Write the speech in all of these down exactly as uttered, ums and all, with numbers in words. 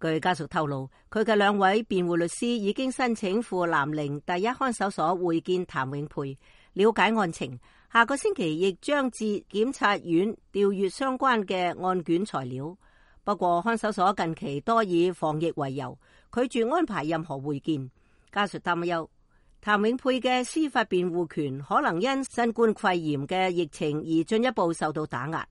據家屬透露，佢嘅兩位辯護律師已經申請赴南寧第一看守所會見譚永沛，了解案情。下個星期亦將至檢察院調閱相關嘅案卷材料。不過看守所近期多以防疫為由，拒絕安排任何會見。家屬擔憂譚永沛嘅司法辯護權可能因新冠肺炎嘅疫情而進一步受到打壓。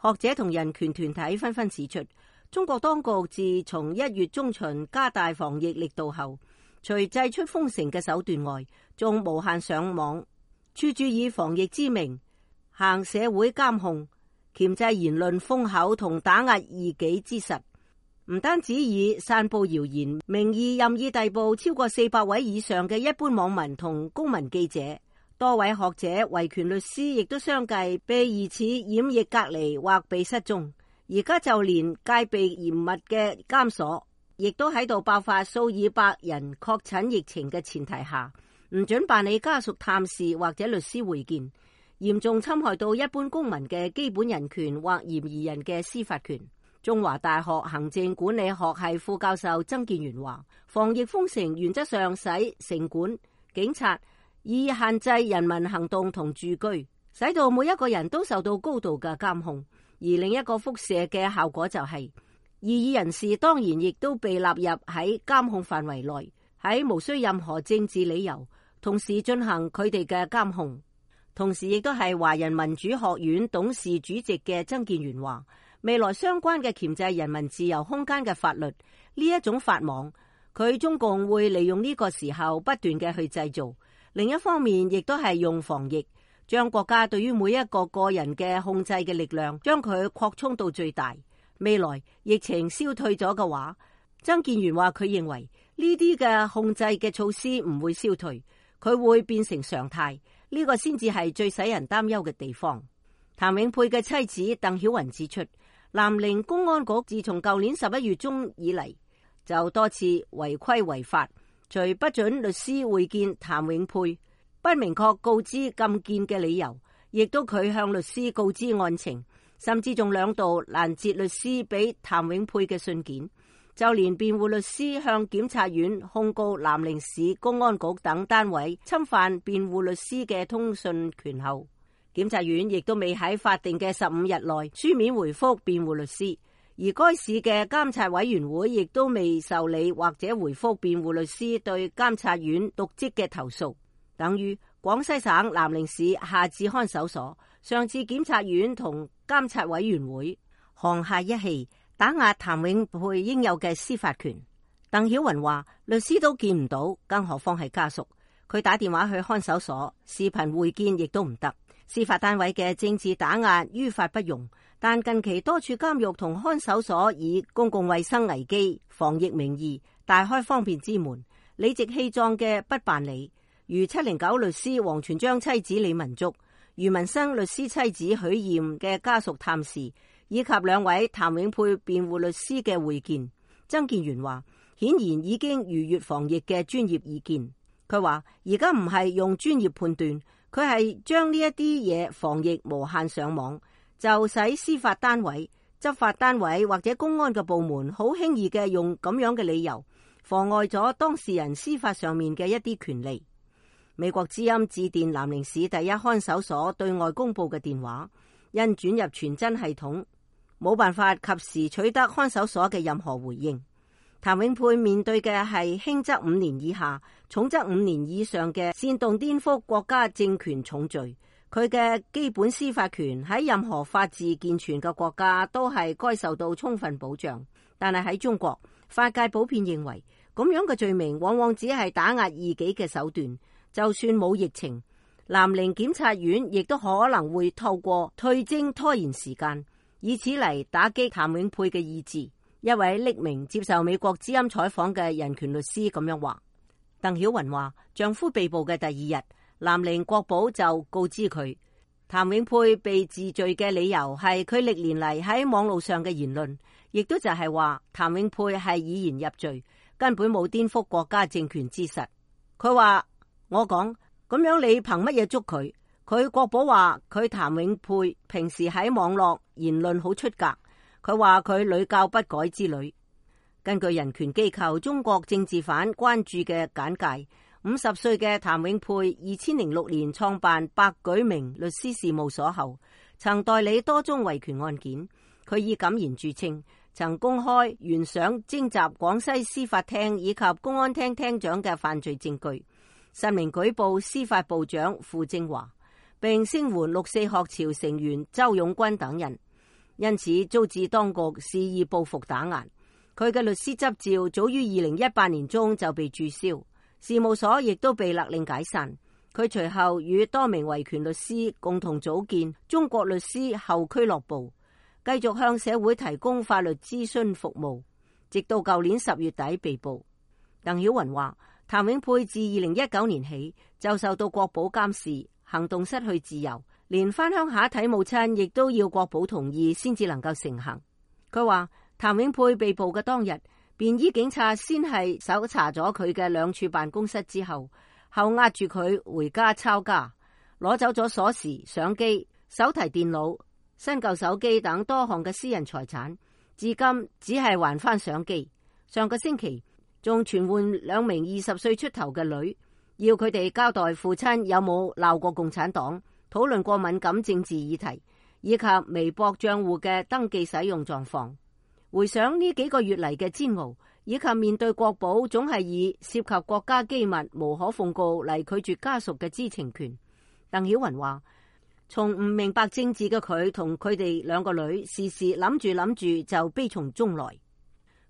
學者同人權團體紛紛指出，中國當局自從一月中旬加大防疫力度後，除祭出封城嘅手段外，仲無限上網，處處以防疫之名行社會監控、鉗制言論封口同打壓異己之實。唔單止以散布謠言名義任意逮捕超過四百位以上嘅一般網民同公民記者，多位學者、維權律師亦都相繼被疑似染疫隔離或被失蹤。而家就連戒備嚴密嘅監所，亦都喺度爆發數以百人確診疫情嘅前提下，唔准辦理家屬探視或者律師會見，嚴重侵害到一般公民嘅基本人權或嫌疑人嘅司法權。中華大學行政管理學系副教授曾建元話，防疫封城原則上使城管、警察以限制人民行動同住居，使到每一個人都受到高度嘅監控。而另一個輻射嘅效果就係、是，異議人士當然亦都被納入喺監控範圍內，喺無需任何政治理由，同時進行佢哋嘅監控。同時亦都係華人民主學院董事主席嘅曾建元話，未來相關嘅鉗制人民自由空間嘅法律呢一種法網，佢中共會利用呢個時候不斷嘅去製造。另一方面亦都係用防疫，將國家對於每一個個人嘅控制嘅力量，將佢擴充到最大。未來疫情消退咗嘅話，曾建元話佢認為呢啲嘅控制嘅措施唔會消退，佢會變成常態。呢、這個先至係最使人擔憂嘅地方。譚永沛嘅妻子鄧曉雲指出，南寧公安局自從舊年十一月中以嚟，就多次違規違法，除不准律師會見譚永沛，不明確告知禁見嘅理由，亦都拒向律師告知案情，甚至仲兩度攔截律師俾譚永沛嘅信件。就連辯護律師向檢察院控告南寧市公安局等單位侵犯辯護律師嘅通訊權後，檢察院亦都未喺法定嘅十五日內書面回覆辯護律師，而該市嘅監察委員會亦都未受理或者回覆辯護律師對監察院瀆職嘅投訴。等於廣西省南寧市下至看守所，上至檢察院同監察委員會，沆瀣一氣，打壓譚永沛應有嘅司法權。鄧曉雲話，律師都見唔到，更何況係家屬。佢打電話去看守所，視頻會見亦都唔得。司法單位嘅政治打壓於法不容，但近期多處監獄同看守所以公共衛生危機、防疫名義大開方便之門，理直氣壯嘅不辦理，如七零九律師王全璋妻子李文竹、余文生律師妻子許艷嘅家屬探視，以及兩位譚永沛辯護律師嘅會見。曾建元話，顯然已經逾越防疫嘅專業意見。佢話而家唔係用專業判斷，佢係將呢一啲嘢防疫無限上網，就使司法單位、執法單位或者公安嘅部門好輕易嘅用咁樣嘅理由，妨礙咗當事人司法上面嘅一啲權利。美國之音致電南寧市第一看守所對外公佈嘅電話，因轉入傳真系統，冇辦法及時取得看守所嘅任何回應。譚永沛面對嘅係輕則五年以下，重則五年以上嘅煽動顛覆國家政權重罪。佢嘅基本司法權喺任何法治健全嘅國家都係該受到充分保障，但係喺中國，法界普遍認為咁樣嘅罪名往往只係打壓異己嘅手段。就算冇疫情，南寧檢察院亦都可能會透過退偵拖延時間，以此嚟打擊譚永沛嘅意志。一位匿名接受美國之音採訪嘅人權律師咁樣話。鄧曉雲話，丈夫被捕嘅第二日，南寧國保就告知佢，譚永沛被治罪嘅理由係佢歷年嚟喺網路上嘅言論，亦都就係話譚永沛係以言入罪，根本冇顛覆國家政權之實。佢話，我講咁樣你憑乜嘢捉佢？佢國保話佢譚永沛平時喺網絡言論好出格，佢話佢屢教不改之類。根據人權機構中國政治犯關注嘅簡介，五十歲嘅譚永沛二千零六年創辦百舉明律師事務所後，曾代理多宗維權案件。佢以敢言著稱，曾公開懸賞徵集廣西司法廳以及公安廳廳長嘅犯罪證據，實名舉報司法部長傅政華，並聲援六四學潮成員周勇軍等人，因此遭致當局肆意報復打壓。佢嘅律師執照早於二零一八年中就被註銷，事務所亦都被勒令解散。佢隨後與多名維權律師共同組建中國律師後俱樂部，繼續向社會提供法律諮詢服務，直到舊年十月底被捕。鄧曉雲話，譚永沛自二零一九年起就受到國保監視，行動失去自由，連返鄉下睇母親亦都要國保同意先至能夠成行。佢話譚永沛被捕嘅當日，便衣警察先係搜查咗佢嘅兩處辦公室之後，後押住佢回家抄家，攞走咗鎖匙、相機、手提電腦、新舊手機等多項嘅私人財產，至今只係還翻相機。上個星期仲傳喚兩名二十歲出頭嘅女，要佢哋交代父親有冇鬧過共產黨，討論過敏感政治議題，以及微博賬戶嘅登記使用狀況。回想呢幾個月嚟嘅煎熬，以及面對國保總係以涉及國家機密無可奉告嚟拒絕家屬嘅知情權，鄧曉雲話，從唔明白政治嘅佢同佢哋兩個女，時時諗住諗住就悲從中來。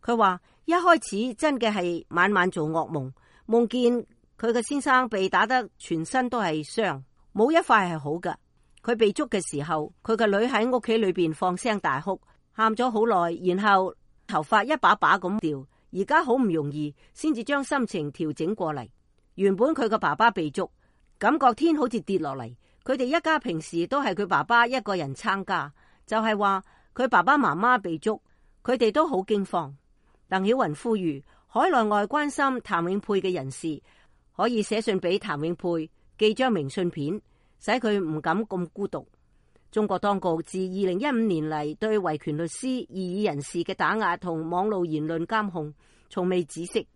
佢話一開始真嘅係晚晚做噩夢，夢見佢嘅先生被打得全身都係傷，冇一塊係好㗎。佢被捉嘅時候，佢個女喺屋企裏邊放聲大哭，喊咗好耐，然後頭髮一把把咁掉。而家好唔容易先至將心情調整過嚟。原本佢個爸爸被捉，感覺天好似跌落嚟。佢哋一家平時都係佢爸爸一個人撐家，就係話佢爸爸媽媽被捉，佢哋都好驚慌。鄧曉雲呼籲海內外關心譚永沛嘅人士可以寫信俾譚永沛，寄張明信片，使佢唔敢咁孤獨。中國當局自二零一五年嚟對維權律師、異議人士嘅打壓同網絡言論監控從未止息。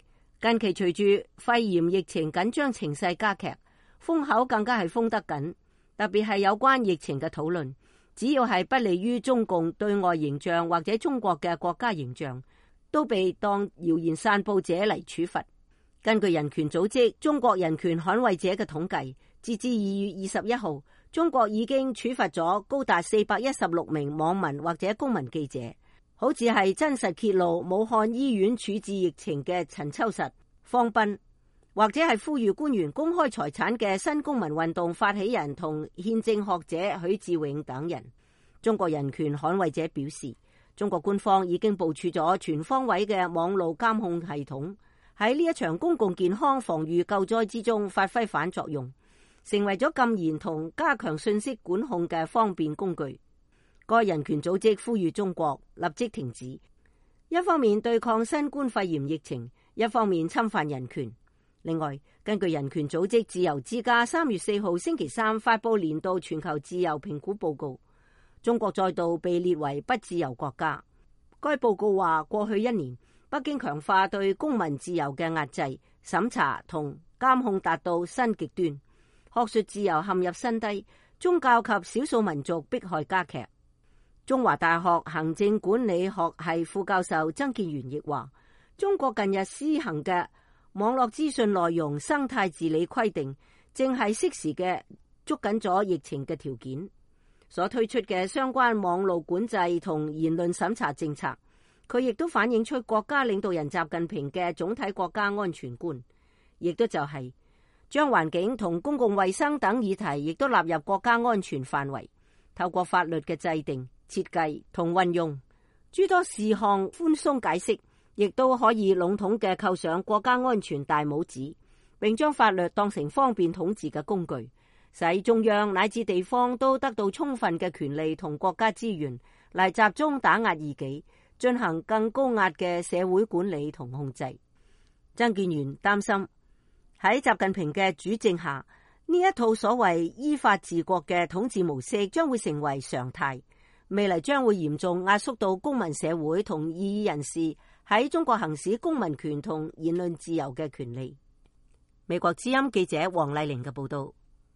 近期隨住肺炎疫情緊張情勢加劇，封口更加係封得緊。特別係有關疫情嘅討論，只要係不利於中共對外形象或者中國嘅國家形象，都被當謠言散布者嚟處罰。根據人權組織中國人權捍衛者嘅統計，截至二月二十一號，中國已經處罰咗高達四百一十六名網民或者公民記者，好似係真實揭露武漢醫院處置疫情嘅陳秋實、方斌，或者係呼籲官員公開財產嘅新公民運動發起人同憲政學者許志永等人。中國人權捍衛者表示，中國官方已經部署咗全方位嘅網絡監控系統，喺呢一場公共健康防禦救災之中發揮反作用，成為咗禁言同加強信息管控嘅方便工具。該人權組織呼籲中國立即停止，一方面對抗新冠肺炎疫情，一方面侵犯人權。另外，根據人權組織自由之家三月四號星期三發佈年度全球自由評估報告，中國再度被列為不自由國家。該報告話，過去一年，北京強化對公民自由嘅壓制、審查同監控達到新極端，學術自由陷入新低，宗教及少數民族迫害加劇。中華大學行政管理學系副教授曾建元亦話，中國近日施行嘅網絡資訊內容生態治理規定，正係適時嘅捉緊咗疫情嘅條件。所推出嘅相關網絡管制同言論審查政策，佢亦都反映出國家領導人習近平嘅總體國家安全觀，亦都就係將環境同公共衛生等議題亦都納入國家安全範圍，透過法律嘅制定、設計同運用諸多事項寬鬆解釋，亦都可以籠統嘅扣上國家安全大帽子，並將法律當成方便統治嘅工具，使中央乃至地方都得到充分嘅權利同國家資源嚟集中打壓異己，進行更高壓嘅社會管理同控制。曾建元擔心喺習近平嘅主政下，呢一套所謂依法治國嘅統治模式將會成為常態，未來將會嚴重壓縮到公民社會同異議人士喺中國行使公民權同言論自由嘅權利。美國之音記者黃麗玲嘅報道。